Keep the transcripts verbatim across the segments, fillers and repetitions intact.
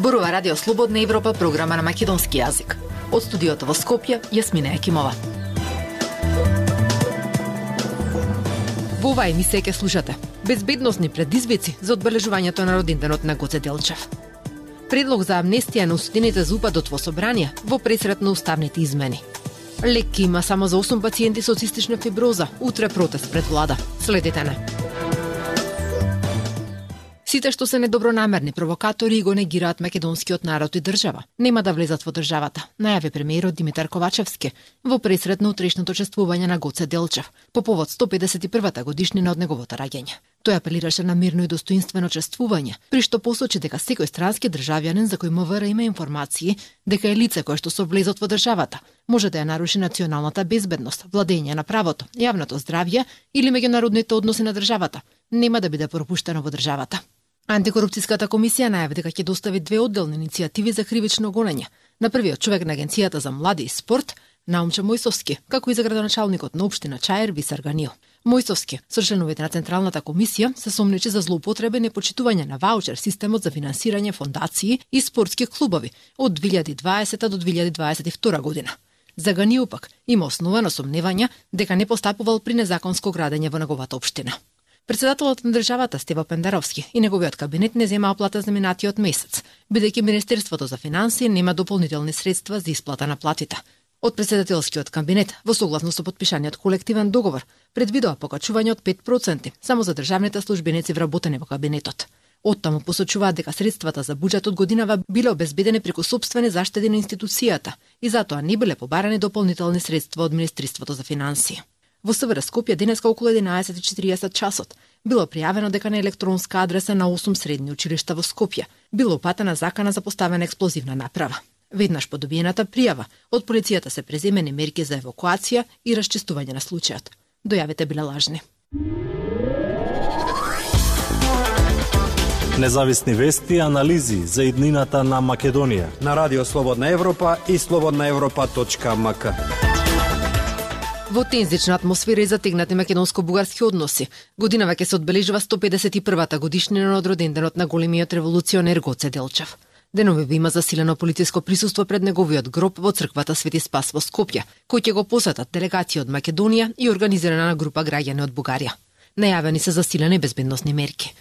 Зборува Радио Слободна Европа, програма на македонски јазик. Од студиото во Скопје, Јасмина Екимова. Во оваа емисија ќе слушате безбедносни предизвици за одбележувањето на роденденот на Гоце Делчев. Предлог за амнестија на осудените за упадот во собрание во пресрет на уставните измени. Лек има само за осум пациенти со цистична фиброза. Утре протест пред влада. Следете не. Сите што се недобронамерни провокатори го негираат македонскиот народ и држава, нема да влезат во државата, најави премиерот Димитар Ковачевски во пресрет на утрешното чествување на Гоце Делчев по повод сто педесет и првата годишнина од неговото раѓање. Тој апелираше на мирно и достоинствено чествување, при што посочи дека секој странски државјанин за кој МВР има информации дека е лице кое што со влезот во државата може да ја наруши националната безбедност, владење на правото, јавното здравје или меѓународните односи на државата, нема да биде пропуштено во државата. Антикорупцијската комисија најави дека ќе достави две одделни иницијативи за кривично гонење. На првиот човек на Агенцијата за млади и спорт, Наумче Мојсовски, како и за градоначалникот на општина Чаир Висар Ганил. Мојсовски, со членовите на Централната комисија, се сомнечи за злоупотреба и непочитување на ваучер системот за финансирање фондации и спортски клубови од две илјади и дваесета до две илјади дваесет и втора година. За Ганил пак има основано сомневања дека не постапувал при незаконско градење во неговата општина. Председателот на државата Стево Пендаровски и неговиот кабинет не зема оплата за минатиот месец, бидејќи Министерството за финансии нема дополнителни средства за исплата на платите. Од председателскиот кабинет, во согласно со подпишаниот колективен договор, предвидува покачување од пет проценти само за државните службеници вработени во кабинетот. Оттаму посочуваат дека средствата за буџетот годинава биле обезбедени преку сопствени заштеди на институцијата и затоа не биле побарани дополнителни средства од Министерството за финансии. Во СВР Скопје денеска околу единаесет и четириесет часот било пријавено дека на електронска адреса на осум средни училишта во Скопје било упатена закана за поставена експлозивна направа. Веднаш по добиената пријава, од полицијата се преземени мерки за евакуација и расчистување на случајот. Дојавите биле лажни. Независни вести и анализи за иднината на Македонија на Радио Слободна Европа и слободна европа точка ем ка. Во тензична атмосфера и затегнати македонско-бугарски односи, годинава ќе се одбележува сто педесет и првата годишнина од роденденот на големиот револуционер Гоце Делчев. Деновиве има засилено полициско присуство пред неговиот гроб во црквата Свети Спас во Скопје, кој ќе го посетат делегација од Македонија и организирана група граѓани од Бугарија. Најавени се засилени безбедносни мерки.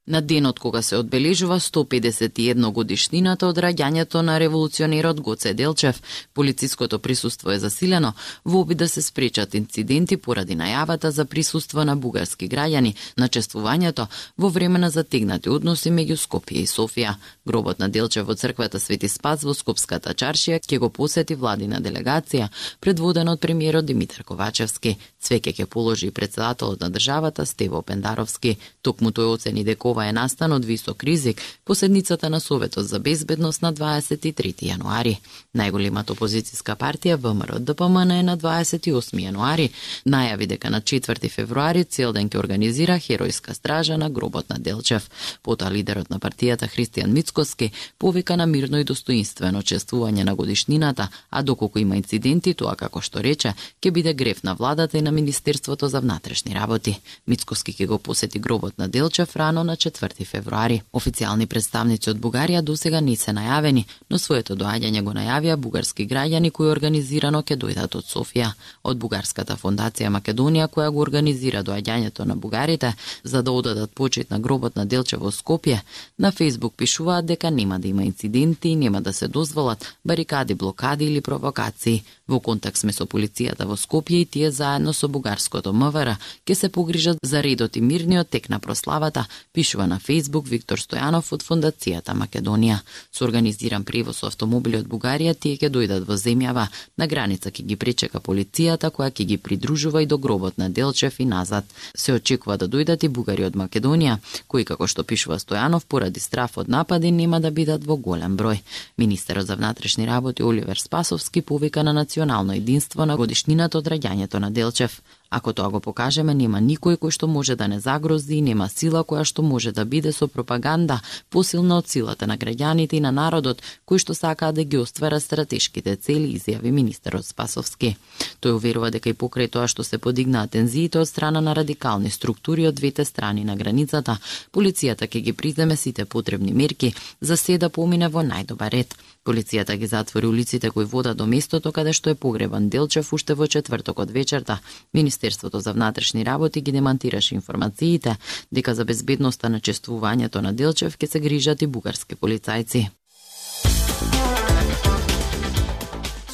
На денот кога се одбележува сто педесет и една годишнината од раѓањето на револуционерот Гоце Делчев, полициското присуство е засилено во обид да се спречат инциденти поради најавата за присуство на бугарски граѓани на чествувањето во време на затегнати односи меѓу Скопје и Софија. Гробот на Делчев во црквата Свети Спас во Скопската чаршија ќе го посети владина делегација, предводена од премиерот Димитар Ковачевски. Цвеќе ќе положи и председателот на државата Стево Пендаровски. Токму тој оцени дека ова е настан од висок ризик по седницата на Советот за безбедност на дваесет и трети јануари. Најголемата опозицијска партија ВМРО-ДПМН е на дваесет и осми јануари најави дека на четврти февруари цел ден ќе организира херојска стража на гробот на Делчев. Потоа лидерот на партијата Христијан Мицкоски повика на мирно и достоинствено чествување на годишнината, а доколку има инциденти, тоа како што рече, ќе биде греф на владата и на Министерството за внатрешни работи. Мицкоски ќе го посети гробот на Делчев рано на четврти февруари. Официјални представници од Бугарија досега не се најавени, но своето доаѓање го најавија бугарски граѓани кои организирано ќе дојдат од Софија. Од Бугарската фондација Македонија, која го организира доаѓањето на бугарите за да одадат почит на гробот на Делчев во Скопје, на Фејсбук пишуваат дека нема да има инциденти и нема да се дозволат барикади, блокади или провокации. Во контакт сме со полицијата во Скопје и тие заедно со бугарското МВР ќе се погрижат за редот и мирниот тек на прославата, пишува на Фејсбук Виктор Стојанов од Фондацијата Македонија. Со организиран превоз со автомобили од Бугарија тие ќе дојдат во земјава, на граница ќе ги пречека полицијата која ќе ги придружува и до гробот на Делчев и назад. Се очекува да дојдат и бугари од Македонија, кои како што пишува Стојанов поради страф од напади нема да бидат во голем број. Министерот за внатрешни работи Оливер Спасовски повика на национално единство на годишнината од раѓањето на Делчев. Ако тоа го покажеме, нема никој кој што може да не загрози, нема сила која што може да биде со пропаганда посилна од силата на граѓаните и на народот, кои што сакаат да ги оствара стратешките цели, изјави министерот Спасовски. Тој уверува дека и покрај тоа што се подигнаа тензиите од страна на радикални структури од двете страни на границата, полицијата ќе ги приземе сите потребни мерки за се да помине во најдобар ред. Полицијата ги затвори улиците кои водат до местото каде што е погребан Делчев уште во четвртокот вечерта. Министерството за внатрешни работи ги демантираше информациите дека за безбедноста на чествувањето на Делчев ќе се грижат и бугарски полицајци.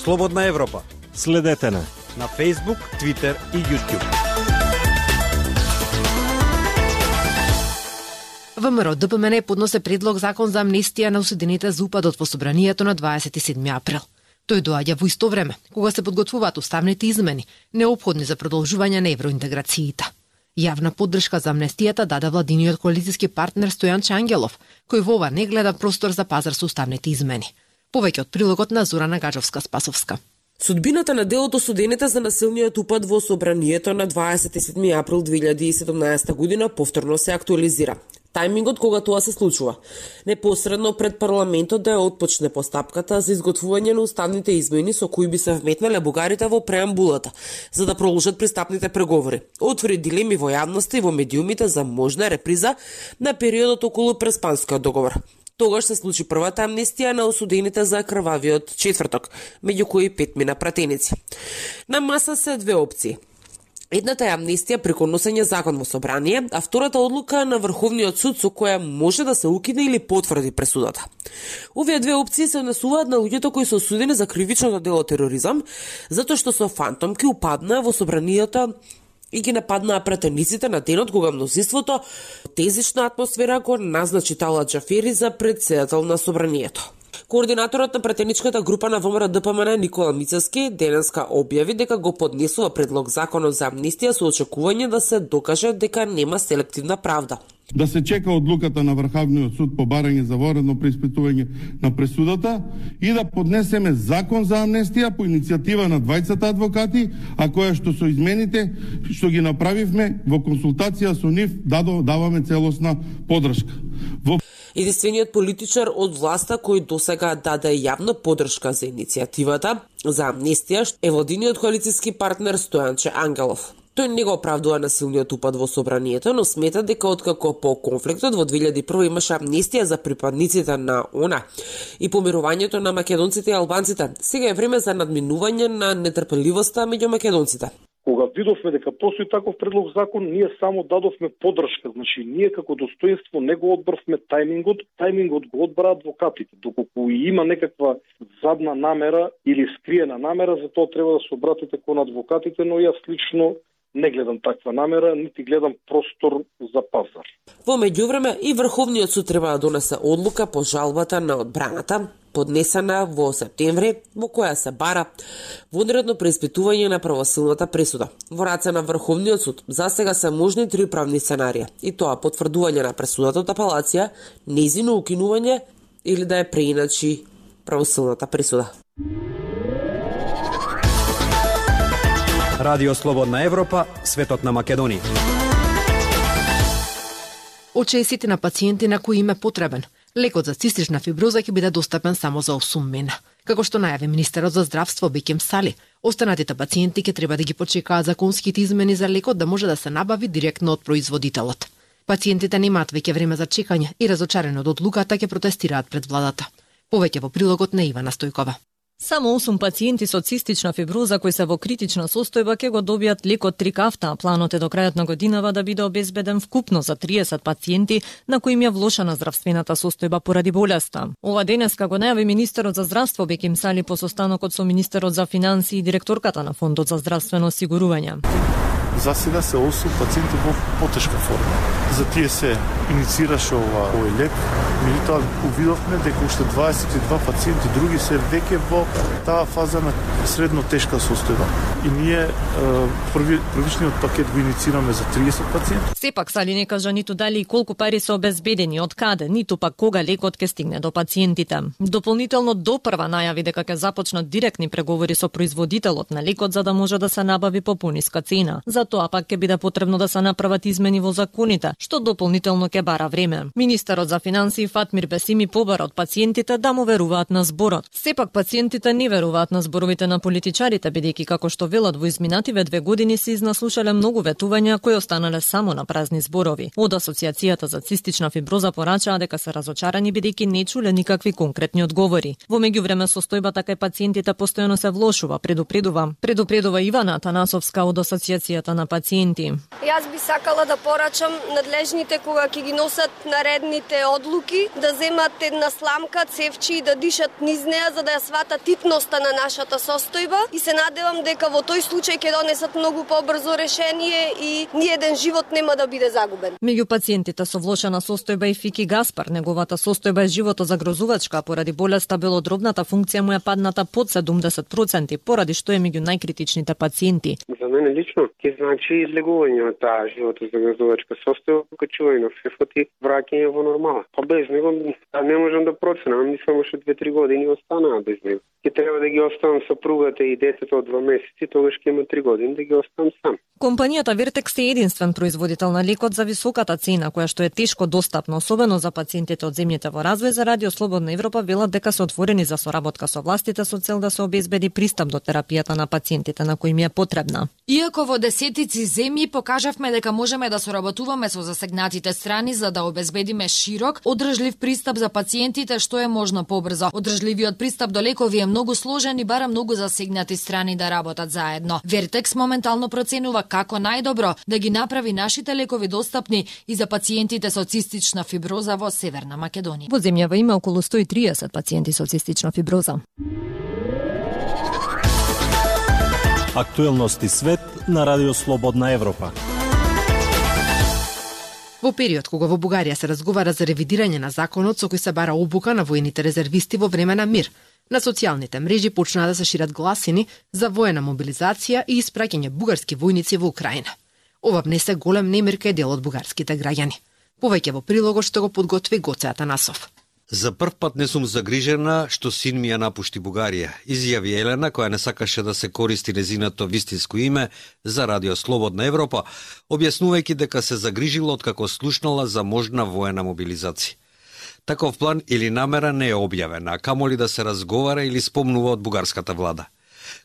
Слободна Европа. Следете на на Facebook, Twitter и YouTube. ВМРО Д П М Н подносе предлог закон за амнестија на осудените за упадот во собранието на дваесет и седми април. Тој доаѓа во исто време, кога се подготвуваат уставните измени, неопходни за продолжување на евроинтеграциите. Јавна поддршка за амнестијата даде владиниот коалициски партнер Стојан Ангелов, кој во ова не гледа простор за пазар со уставните измени. Повеќе од прилогот на Зорана Гаджовска-Спасовска. Судбината на дел од осудените за насилниот упад во собранието на дваесет и седми април две илјади и седумнаесета година повторно се актуализира. Тајмингот кога тоа се случува, непосредно пред парламентот да ја отпочне постапката за изготвување на уставните измени со кои би се вметнале бугарите во преамбулата, за да продолжат пристапните преговори. Отвори дилеми во јавноста и во медиумите за можна реприза на периодот околу Преспанскиот договор. Тогаш се случи првата амнестија на осудените за крвавиот четврток, меѓу кои петмина пратеници. На маса се две опции. Едната е амнестија преку носење закон во собрание, а втората одлука на Врховниот суд со која може да се укине или потврди пресудата. Овие две опции се однесуваат на луѓето кои се осудени за кривичното дело тероризам, затоа што со фантомки упаднаа во собранието и ги нападнаа пратениците на денот кога мнозинството тезична атмосфера го назначи Талат Џафери за претседател на собранието. Координаторот на пратеничката група на ВМРО Д П М Н Никола Мицевски денеска објави дека го поднесува предлог законот за амнестија со очекување да се докаже дека нема селективна правда. Да се чека одлуката на Врховниот суд по барање за воредно преиспитување на пресудата и да поднесеме закон за амнестија по иницијатива на двајцата адвокати, а која што со измените што ги направивме во консултација со нив даваме целосна поддршка. Во Единствениот политичар од власта кој досега даде јавна поддршка за иницијативата за амнестија е владиниот коалициски партнер Стојанче Ангелов. Тој не го оправдува насилниот упад во собранието, но смета дека откако по конфликтот во две илјади и прва имаше амнестија за припадниците на ОНА и помирувањето на македонците и албанците, сега е време за надминување на нетрпеливоста меѓу македонците. Кога видовме дека постои таков предлог закон, ние само дадовме поддршка. Значи, ние како достоинство не го одбрвме тајмингот, тајмингот го одбра адвокатите. Доколку има некаква задна намера или скриена намера, за тоа треба да се обратите кон адвокатите, но јас лично не гледам таква намера, нити гледам простор за пазар. Во меѓувреме и Врховниот суд треба да донесе одлука по жалбата на одбраната, поднесена во септември, во која се бара вонредно преиспитување на правосилната пресуда. Во раце на Врховниот суд засега се можни три правни сценарија, и тоа потврдување на пресудата од апелација, нејзино укинување или да ја преиначи правосилната пресуда. Радио Слободна Европа, светот на Македонија. Очесите на пациенти на кои им е потребен лекот за цистична фиброза ќе биде достапен само за осум мена. Како што најави министерот за здравство Бекем Сали, останатите пациенти ќе треба да ги почекаат законските измени за лекот да може да се набави директно од производителот. Пациентите немаат веќе време за чекање и разочарени од одлуката ќе протестираат пред владата. Повеќе во прилогот на Ивана Стојкова. Само осум пациенти со цистична фиброза кои се во критична состојба ќе го добијат лекот Трикафта, а планот е до крајот на годинава да биде обезбеден вкупно за триесет пациенти на кои им ја влошена здравствената состојба поради болеста. Ова денеска го најави министерот за здравство Бекем Сали по состанокот со министерот за финансии и директорката на Фондот за здравствено осигурување. За сега се осум пациенти во потешка форма. За тие се иницираше ова овој лек, меѓутоа увидовме дека уште дваесет и два пациенти други се веќе во таа фаза на средно тешка состојба. И ние први, првичниот пакет го иницираме за триесет пациенти. Сепак Сали не кажа ниту дали и колку пари се обезбедени, од каде, ниту пак кога лекот ќе стигне до пациентите. Дополнително допрва најави дека ќе започнат директни преговори со производителот на лекот за да може да се набави по пониска цена. За тоа пак ќе биде потребно да се направат измени во законите, што дополнително ќе бара време. Министерот за финансии Фатмир Бесими побара од пациентите да му веруваат на зборот. Сепак пациентите не веруваат на зборовите на политичарите, бидејќи како што велат во изминативе две години се изнаслушале многу ветувања кои останале само на празни зборови. Од Асоциацијата за цистична фиброза порачаа дека се разочарани бидејќи не чуле никакви конкретни одговори. Во меѓувреме состојбата кај пациентите постојано се влошува, предупредува. Предупредува Ивана Атанасовска од Асоциацијата на пациенти. Јас би сакала да порачам надлежните кога ќе ги носат наредните одлуки да земат една сламка, цевчи и да дишат низ неа за да ја сватат титноста на нашата состојба и се надевам дека во тој случај ќе донесат многу побрзо решение и ниеден живот нема да биде загубен. Меѓу пациентите со влошена состојба и Фики Гаспар, неговата состојба е животозагрозувачка поради болеста белодробната функција му е падната под седумдесет проценти, поради што е меѓу најкритичните пациенти. За мене лично ќе значи излегување од таа животозагрозувачка состојба, качување на фефот и враќање во нормала. Па без него не можам да проценам, мислам уште две-три години останаа без него. Ќе треба да ги оставам сопругата и детето од два месеци, тогаш ќе има три години да ги оставам сам. Компанијата Вертекс е единствен производител на лекот за високата цена, која што е тешко достапна, особено за пациентите од земјите во развој. За Радио Слободна Европа велат дека се отворени за соработка со властите со цел да се обезбеди пристап до терапијата на пациентите на кои им е потребна. Иако во десетици земји покажавме дека можеме да соработуваме со засегнатите страни за да обезбедиме широк, одржлив пристап за пациентите што е можно побрзо. Одржливиот пристап до лекови е многу сложен и бара многу засегнати страни да работат заедно. Вертекс моментално проценува како најдобро да ги направи нашите лекови достапни и за пациентите со цистична фиброза во Северна Македонија. Во земјава има околу сто и триесет пациенти со цистична фиброза. Актуелности свет на Радио Слободна Европа. Во период кога во Бугарија се разговара за ревидирање на законот со кој се бара обука на воените резервисти во време на мир, на социјалните мрежи почнаа да се шират гласини за воена мобилизација и испраќање бугарски војници во Украина. Ова внесе голем немир кај дел од бугарските граѓани. Повеќе во прилогот што го подготви Гоце Атанасов. За прв пат не сум загрижена што син ми ја напушти Бугарија, изјави Елена, која не сакаше да се користи незиното вистинско име за Радио Слободна Европа, објаснувајќи дека се загрижила откако слушнала за можна воена мобилизација. Таков план или намера не е објавена, а камоли да се разговара или спомнува од бугарската влада.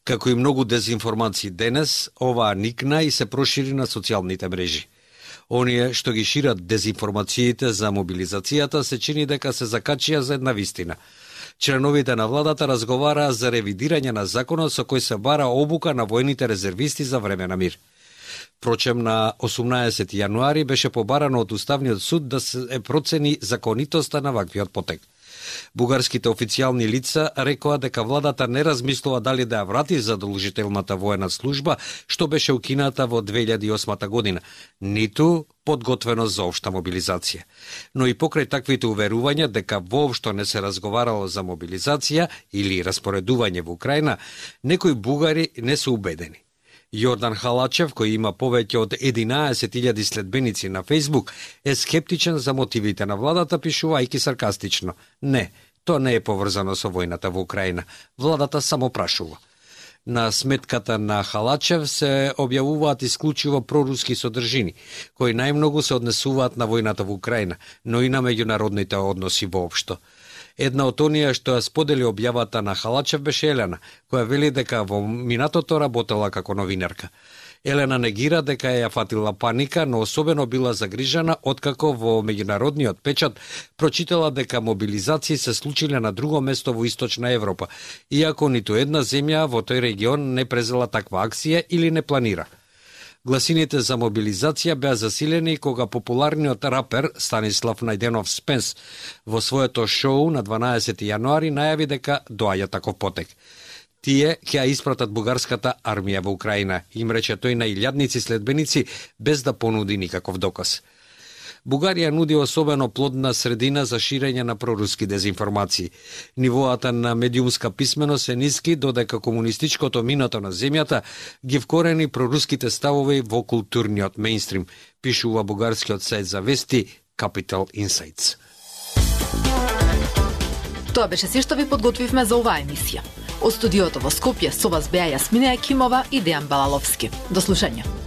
Како и многу дезинформации денес, оваа никна и се прошири на социјалните мрежи. Оние што ги шират дезинформациите за мобилизацијата се чини дека се закачија за една вистина. Членовите на владата разговараа за ревидирање на законот со кој се бара обука на воените резервисти за време на мир. Впрочем, на осумнаесети јануари беше побарано од Уставниот суд да се процени законитоста на ваквиот потек. Бугарските официјални лица рекоа дека владата не размислува дали да ја врати задолжителната воена служба што беше укината во две илјади и осма година, ниту подготвеност за општа мобилизација. Но и покрај таквите уверувања дека воопшто не се разговарало за мобилизација или распоредување во Украина, некои бугари не се убедени. Јордан Халачев, кој има повеќе од единаесет илјади следбеници на Фејсбук, е скептичен за мотивите на владата, пишувајќи саркастично: "Не, тоа не е поврзано со војната во Украина. Владата само прашува." На сметката на Халачев се објавуваат исклучиво проруски содржини, кои најмногу се однесуваат на војната во Украина, но и на меѓународните односи воопшто. Една од оние што ја сподели објавата на Халачев беше Елена, која вели дека во минатото работела како новинарка. Елена негира дека ја фатила паника, но особено била загрижена откако во меѓународниот печат прочитала дека мобилизации се случиле на друго место во Источна Европа, иако ниту една земја во тој регион не презела таква акција или не планира. Гласините за мобилизација беа засилени кога популарниот рапер Станислав Најденов Спенс во своето шоу на дванаесети јануари најави дека доаѓа таков потек. Тие ќе ја испратат бугарската армија во Украина, им рече тој на илјадници следбеници без да понуди никаков доказ. Бугарија нуди особено плодна средина за ширење на проруски дезинформации. Нивоата на медиумска писменост е ниски, додека комунистичкото минато на земјата ги вкорени проруските ставови во културниот мејнстрим, пишува бугарскиот сајт за вести Capital Insights. Тоа беше се што ви подготвивме за оваа емисија. Од студиото во Скопје со вас беа Јасмина Екимова и Дејан Балаловски. До слушање.